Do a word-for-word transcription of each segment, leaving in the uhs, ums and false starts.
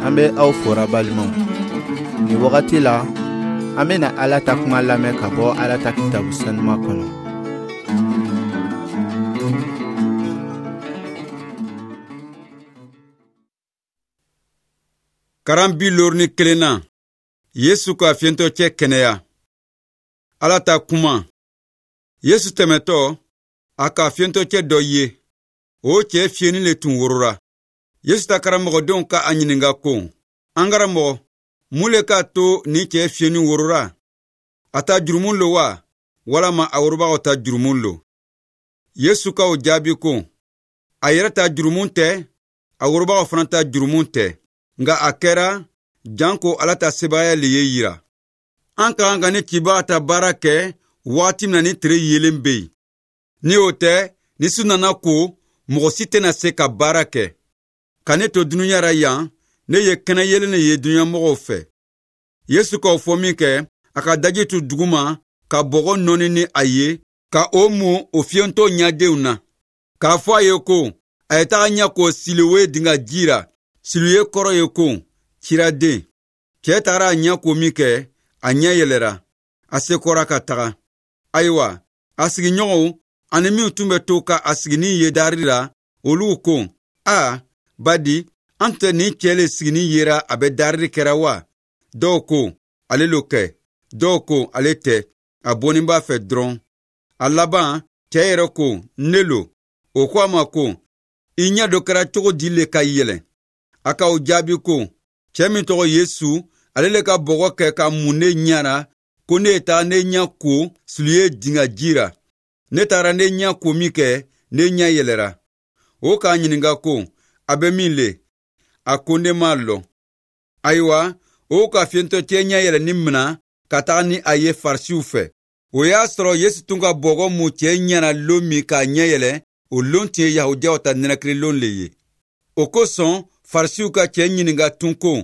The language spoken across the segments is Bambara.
An bɛ aw fora balimaw. Nin wagati la, an bɛna Ala ta kuma lamɛn ka bɔ Ala ta kitabu sanuma kɔnɔ. Karan bi looru ni kelen na, Yesu ka fiyentɔ cɛ kɛnɛya. Ala ta kuma. Yesu tɛmɛtɔ, a ka fiyentɔ cɛ dɔ ye. O cɛ fiyenni le tun worora. Yesu ta karamɔgɔdenw ka a ɲininka ko, an karamɔgɔ, mun le k'a to nin cɛ fiyenni worora? A ta jurumu lo wa, walama a worobagaw ta jurumu lo? Yesu ka o jaabi ko, a yɛrɛ ta jurumu tɛ, a worobagaw fana ta jurumu tɛ, nka a kɛra janko Ala ta sebaaya le ye yira. An ka kan ka ni cibaga ta baara kɛ waati min na ni tile yeelen bɛ yen. Ni o tɛ, ni su nana ko, mɔgɔ si tɛna se ka baara kɛ. Ka ne to dunuya ra yan, ne ye kɛnɛ yeelen le ye dunuya mɔgɔw fɛ. Yesu k'o fɔ min kɛ, a ka daji tu duguma ka bɔgɔ nɔɔni ni a ye, ka o mu o fiyentɔ ɲadenw na. K'a fɔ a ye ko, a ye taga ɲɛ ko Silowe dinga ji ra. Silowe kɔrɔ ye ko, ciraden. Cɛ tagara a ɲɛ ko min kɛ, a ɲɛ yɛlɛra, a sekɔra ka taga. Ayiwa, a sigiɲɔgɔnw ani minw tun bɛ to ka a siginin ye dari la, olu ko, a badi, an tɛ nin cɛ le siginin yera a bɛ darili kɛra wa? Dɔw ko, ale lo kɛ. Dɔw ko, ale tɛ. A bɔnni b'a fɛ dɔrɔn. A laban, cɛ yɛrɛ ko, ne lo. O ko a ma ko, i ɲɛ dɔ kɛra cogo di le ka yɛlɛ? A ka o jaabi ko, cɛ min tɔgɔ Yesu, ale le ka bɔgɔ kɛ ka mun ne ɲɛ ra, ko ne ye taga ne ɲɛ ko Silowe dinga ji ra. Ne tagara ne ɲɛ ko min kɛ, ne ɲɛ yɛlɛra. O k'a ɲininka ko, a bɛ min le? A ko ne m'a lɔn. Ayiwa, o ka fiyentɔ cɛ ɲɛ yɛlɛni mina ka taga ni a ye Farisiw fɛ. O y'a sɔrɔ Yesu tun ka bɔgɔ mun cɛ ɲɛna lon min k'a ɲɛ yɛlɛ, o lon tun ye Yahudiyaw ta nɛnɛkiri le ye. O kosɔn Farisiw ka cɛ ɲininka tun ko,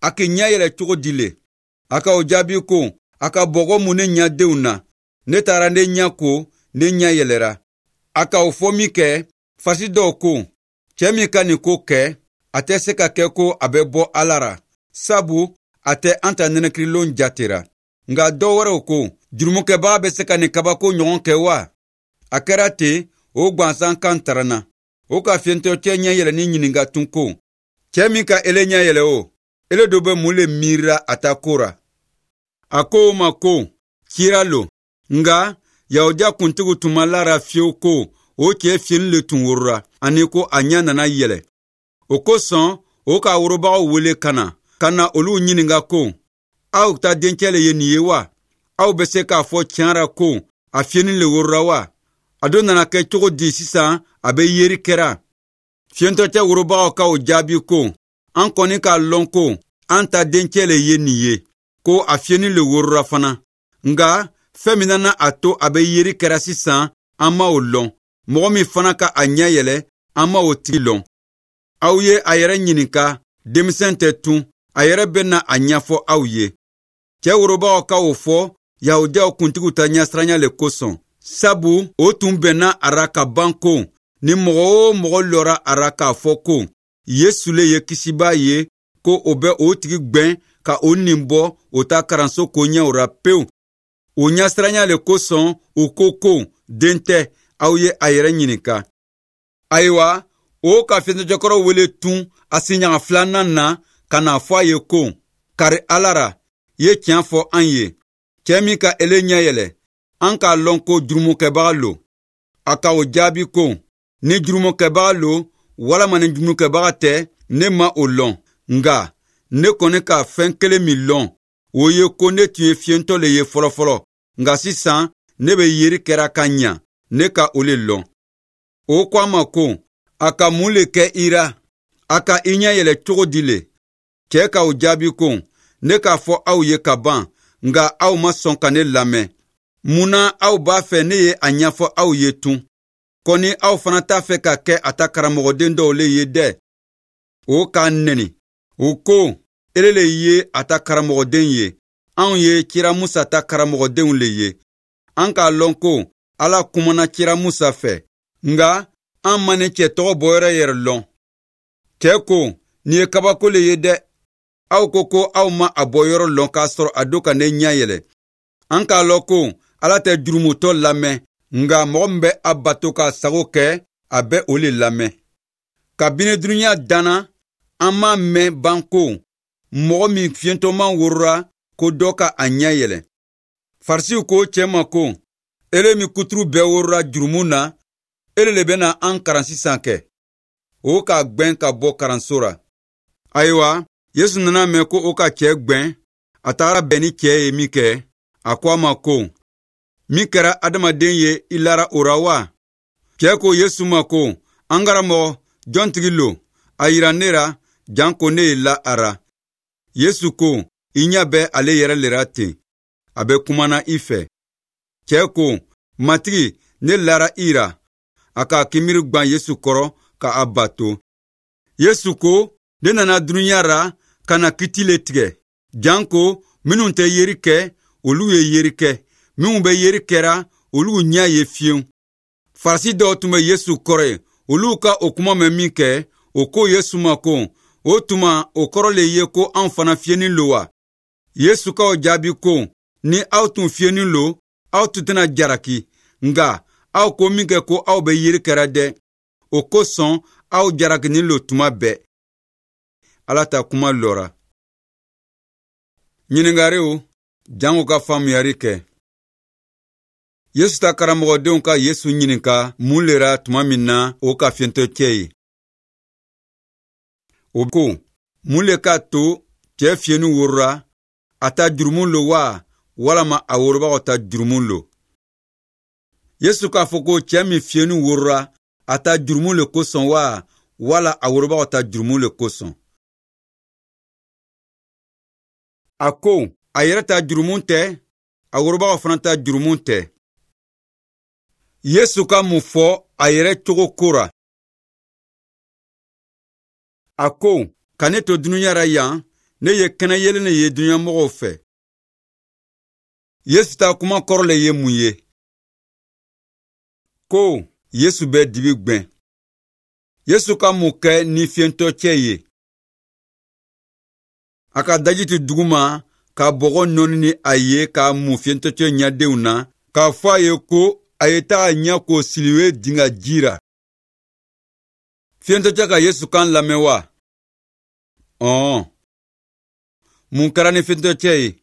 a k'i ɲɛ yɛlɛ cogo di le? A ka o jaabi ko, a ka bɔgɔ mun ne ɲɛdenw na. Ne taara ne ɲɛ ko, ne ɲɛ yɛlɛra. A ka o fɔ min kɛ, Farisi dɔw ko, cɛ min ka nin ko kɛ, a tɛ se ka kɛ ko a bɛ bɔ Ala ra, sabu a tɛ an ta nɛnɛkirilon jatera. Nka dɔ wɛrɛw ko, jurumukɛbaga bɛ se ka nin kabako ɲɔgɔn kɛ wa? A kɛra ten, o gansan kan taranna. O ka fiyentɔ cɛ ɲɛ yɛlɛni ɲininka tun ko, cɛ min ka ele ɲɛ yɛlɛ o, ele do bɛ mun le miirira a ta ko ra? A ko o ma ko, cira lo. Nka Yahudiya kuntigiw tun ma lara fiyewu ko o cɛ fiyeni le tun worora, ani ko a ɲɛ nana yɛlɛ. O kosɔn o k'a worobagaw wele ka na, ka na olu ɲininka ko, aw ta dencɛ le ye nin ye wa? Aw bɛ se k'a fɔ tiɲɛ ra ko a fiyeni le worora wa? A don nana kɛ cogo di sisan a bɛ yeri kɛra? Fiyentɔ cɛ worobagaw ka o jaabi ko, an kɔni k'a lɔn ko an ta dencɛ le ye nin ye, ko a fiyeni le worora fana. Nka fɛn min nana a to a bɛ yeri kɛra sisan, an ma o lɔn. Mɔgɔ min fana ka a ɲɛ yɛlɛ, an ma o tigi lɔn. Aw ye a yɛrɛ ɲininka, denmisɛn tɛ tun, a yɛrɛ bɛ na a ɲɛfɔ aw ye. Cɛ worobagaw ka o fɔ Yahudiyaw kuntigiw ta ɲɛsiranya le kosɔn, sabu o tun bɛnna a ra ka ban ko, ni mɔgɔ o mɔgɔ lɔra a ra k'a fɔ ko Yesu le ye kisibaa ye, ko o bɛ o tigi gwɛn ka o nin bɔ o ta karanso koɲɛw ra pewu. O ɲɛsiranya le kosɔn u ko ko, den tɛ, aw ye a yɛrɛ ɲininka. Ayiwa, o ka fiyentɔcɛkɔrɔ wele tun a siɲaga filanan na ka n'a fɔ a ye ko, kari Ala ra, i ye tiɲɛ fɔ an ye. Cɛ min ka ele ɲɛ yɛlɛ, an k'a lɔn ko jurumukɛbaga lo. A ka o jaabi ko, ni jurumukɛbaga lo walama ni jurumukɛbaga tɛ, ne ma o lɔn. Nka ne kɔni ka fɛn kelen min lɔn, o ye ko ne tun ye fiyentɔ le ye fɔlɔfɔlɔ, nka sisan ne bɛ yeri kɛra ka ɲa, ne ka o le lɔn. O ko a ma ko, a ka mun le kɛ i ra? A ka i ɲɛ yɛlɛ cogo di le? Cɛ ka o jaabi ko, ne k'a fɔ aw ye ka ban, nka aw ma sɔn ka ne lamɛn. Mun na aw b'a fɛ ne ye a ɲɛfɔ aw ye tun? Kɔni aw fana t'a fɛ ka kɛ a ta karamɔgɔden dɔw le ye dɛ. O k'a nɛni. O ko, ele le ye a ta karamɔgɔden ye, anw ye cira Musa ta karamɔgɔdenw le ye. An k'a lɔn ko Ala kumana cira Musa fɛ, nka an ma nin cɛ tɔgɔ bɔyɔrɔ yɛrɛ lɔn. Cɛ ko, nin ye kabako le ye dɛ. Aw ko ko aw ma a bɔ yɔrɔ lɔn k'a sɔrɔ a don ka ne ɲɛ yɛlɛ. An k'a lɔn ko Ala tɛ jurumutɔ lamɛn, nka mɔgɔ min bɛ a bato k'a sago kɛ, a bɛ o le lamɛn. Kabini dunuya danna, an m'a mɛn ban ko mɔgɔ min fiyentɔman worora ko dɔ ka a ɲɛ yɛlɛ. Farisiw ko cɛ ma ko, ele min kuturu bɛɛ worora jurumu na, ele le bɛna an karan sisan kɛ. O k'a gwɛn ka bɔ karanso ra. Ayiwa, Yesu nana mɛn ko o ka cɛ gwɛn, a tagara bɛn ni cɛ ye min kɛ, a ko a ma ko, min kɛra adamaden ye i lara o ra wa? Cɛ ko Yesu ma ko, an karamɔgɔ, jɔntigi lo, a yira ne ra, janko ne ye la a ra. Yesu ko, i ɲɛ bɛ ale yɛrɛ le ra ten, a bɛ kumana i fɛ. Cɛ ko, Matigi, ne lara i ra. A k'a kinbiri gwan Yesu kɔrɔ ka a bato. Yesu ko, ne nana dunuya ra ka na kiti le tigɛ, janko minnu tɛ yeri kɛ, olu ye yeri kɛ, minnu bɛ yeri kɛra, olu ɲɛ ye fiyewu. Farisi dɔw tun bɛ Yesu kɔrɔ ye, olu ka o kuma mɛn min kɛ, o ko Yesu ma ko, o tuma o kɔrɔ le ye ko anw fana fiyenin lo wa? Yesu k'o jaabi ko, ni aw tun fiyenin lo, aw tun tɛna jaraki, nka aw ko min kɛ ko aw bɛ yeri kɛra dɛ, o kosɔn aw jarakinin lo tuma bɛɛ. Ala ta kuma lɔra. Ɲininkariw jango ka faamuyali kɛ. Yesu ta karamɔgɔdenw ka Yesu ɲininka mun le ra tuma min na o ka fiyentɔcɛ ye. O ko, mun le k'a to cɛ fiyeni worora, a ta jurumu lo wa, walama a worobagaw ta jurumu lo? Yesu k'a fɔ ko cɛ min fiyeni worora, a ta jurumu le kosɔn wa, wala a worobagaw ta jurumu le kosɔn? A ko, a yɛrɛ ta jurumu tɛ, a worobagaw fana ta jurumu tɛ. Yesu ka mun fɔ a yɛrɛ cogo ko ra? A ko, ka ne to dunuya ra yan, ne ye kɛnɛ yeelen le ye dunuya mɔgɔw fɛ. Yesu ta kuma kɔrɔ le ye mun ye? Ko Yesu bɛ dibi gwɛn. Yesu ka mun kɛ ni fiyentɔcɛ ye? A ka daji tu duguma ka bɔgɔ nɔɔni ni a ye k'a mun fiyentɔcɛ ɲɛdenw na, k'a fɔ a ye ko a ye taga ɲɛ ko Siliwe dinga ji ra. Fiyentɔcɛ ka Yesu kan lamɛn wa? Ɔn. Mun kɛra ni fiyentɔcɛ ye?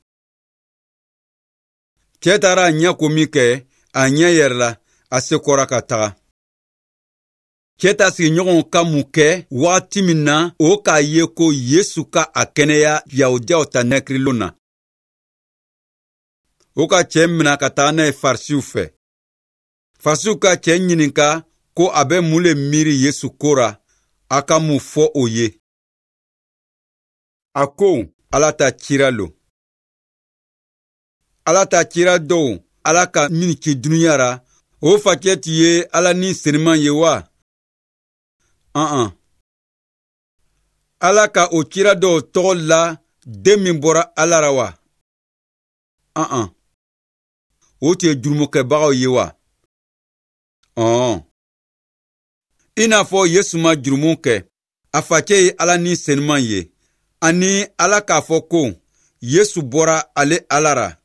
Cɛ taara a ɲɛ ko min kɛ, a ɲɛ yɛrɛla, a sekɔra ka taga. Cɛ ta sigiɲɔgɔnw ka mun kɛ wagati min na o k'a ye ko Yesu ka a kɛnɛya Yahudiyaw ta nɛkirilon na. O ka cɛ mina ka taga n'a ye Farisiw fɛ. Farisiw ka cɛ ɲininka ko a bɛ mun le miiri Yesu ko ra, a ka mun fɔ o ye. A ko, Ala ta cira lo. Ala ta cira dɔw, Ala ka min ci dunuya ra, o facɛ tun ye Ala ni seniman ye wa? An-an. Ala ka o cira dɔw tɔgɔ la den min bɔra Ala ra wa? An-an. O tun ye jurumukɛbagaw ye wa? Ɔn. I n'a fɔ Yesu ma jurumu kɛ, a facɛ ye Ala ni seniman ye, ani Ala k'a fɔ ko Yesu bɔra ale Ala ra.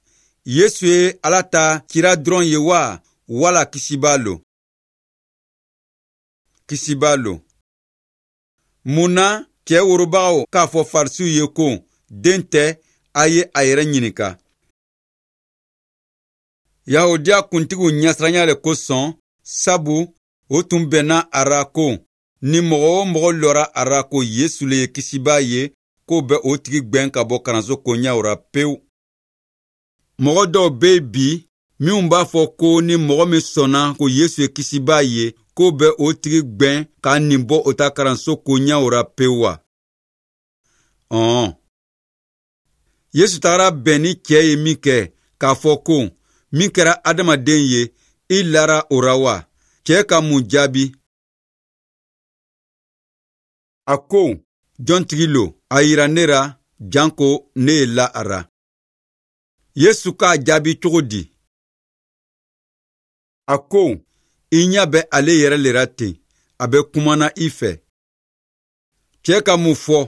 Yesu ye Ala ta cira dɔrɔn ye wa, wala kisibaa lo? Kisibaa lo. Mun na cɛ worobagaw k'a fɔ Farisiw ye ko den tɛ, a ye a yɛrɛ ɲininka? Yahudiya kuntigiw ɲɛsiranya le kosɔn, sabu o tun bɛnna a ra ko ni mɔgɔ o mɔgɔ lɔra a ra ko Yesu le ye kisibaa ye, k'o bɛ o tigi gwɛn ka bɔ karanso koɲɛw ra pewu. Mɔgɔ dɔw bɛ bi minnu b'a fɔ ko ni mɔgɔ min sɔnna ko Yesu ye kisibaa ye, k'o bɛ o tigi gwɛn k'a nin bɔ o ta karanso koɲɛw ra pewu wa? Ɔn. Yesu tagara bɛn ni cɛ ye min kɛ k'a fɔ ko min kɛra adamaden ye, i lara o ra wa? Cɛ ka mun jaabi? A ko, jɔntigi lo, a yira ne ra, janko ne ye la a ra. Yesu k'a jaabi cogo di? A ko, i ɲɛ bɛ ale yɛrɛ le ra ten, a bɛ kumana i fɛ. Cɛ ka mun fɔ?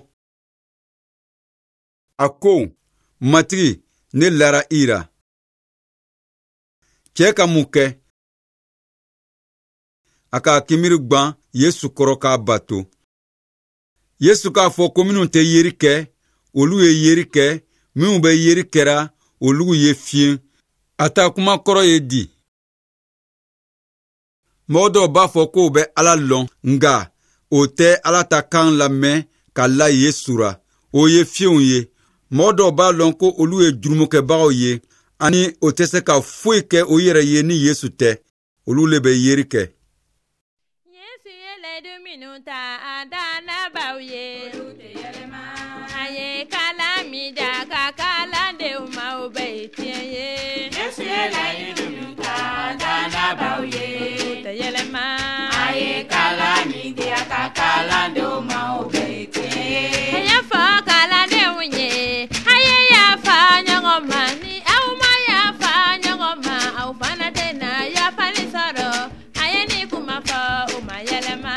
A ko, Matigi, ne lara i ra. Cɛ ka mun kɛ? A k'a kinbiri gwan Yesu kɔrɔ k'a bato. Yesu k'a fɔ ko minnu tɛ yeri kɛ, olu ye yeri kɛ, minnu bɛ yeri kɛra, olu ye fiyen. A ta kuma kɔrɔ ye di? Mɔgɔ dɔw b'a fɔ k'o bɛ Ala lɔn, nka o tɛ Ala ta kan lamɛn ka la Yesu ra. O ye fiyenw ye. Mɔgɔ dɔw b'a lɔn ko olu ye jurumukɛbagaw ye, ani o tɛ se ka foyi kɛ o yɛrɛ ye ni Yesu tɛ. Olu le bɛ yeri kɛ. Yesu ye layidu minnu ta a dannabaw ye, olu tɛ yɛlɛma. A ye kalan min da ka kalandenw ma, o bɛɛ ye tiɲɛ ye. Yesu ye layidu minnu ta a dannabaw ye, olu tɛ yɛlɛma. A ye kalan min di a ka kalandenw ma, o bɛɛ ye tiɲɛ ye. A y'a fɔ kalandenw ye, a ye yafa ɲɔgɔn ma, ni aw ma yafa ɲɔgɔn ma, aw fana tɛna yafali sɔrɔ. A ye nin kuma fɔ, o ma yɛlɛma.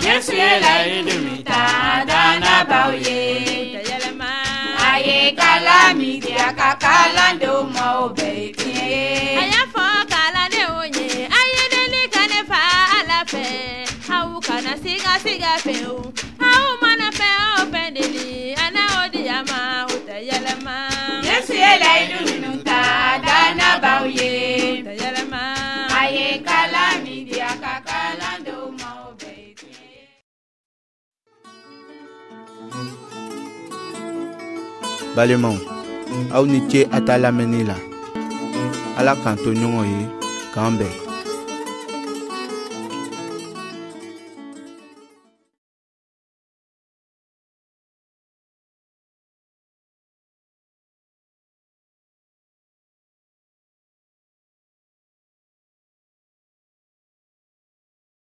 Yesu ye layidu min ta a dannabaw ye, olu tɛ yɛlɛma. A ye kalan min di a ka kalandenw ma, o bɛɛ ye tiɲɛ ye. A y'a fɔ kalandenw ye, a ye deli ka ne fa Ala fɛ, aw kana siga siga fewu. Aw mana fɛn o fɛn deli, a na o di a ma, o tɛ yɛlɛma. Yesu ye layidu minnu ta a dannabaw ye, o tɛ yɛlɛma. A ye kalan min di a ka kalandenw ma, o bɛɛ ye tiɲɛ ye. Balimaw, aw ni ce a ta lamɛnni la. Ala k'an to ɲɔgɔn ye, k'an bɛn.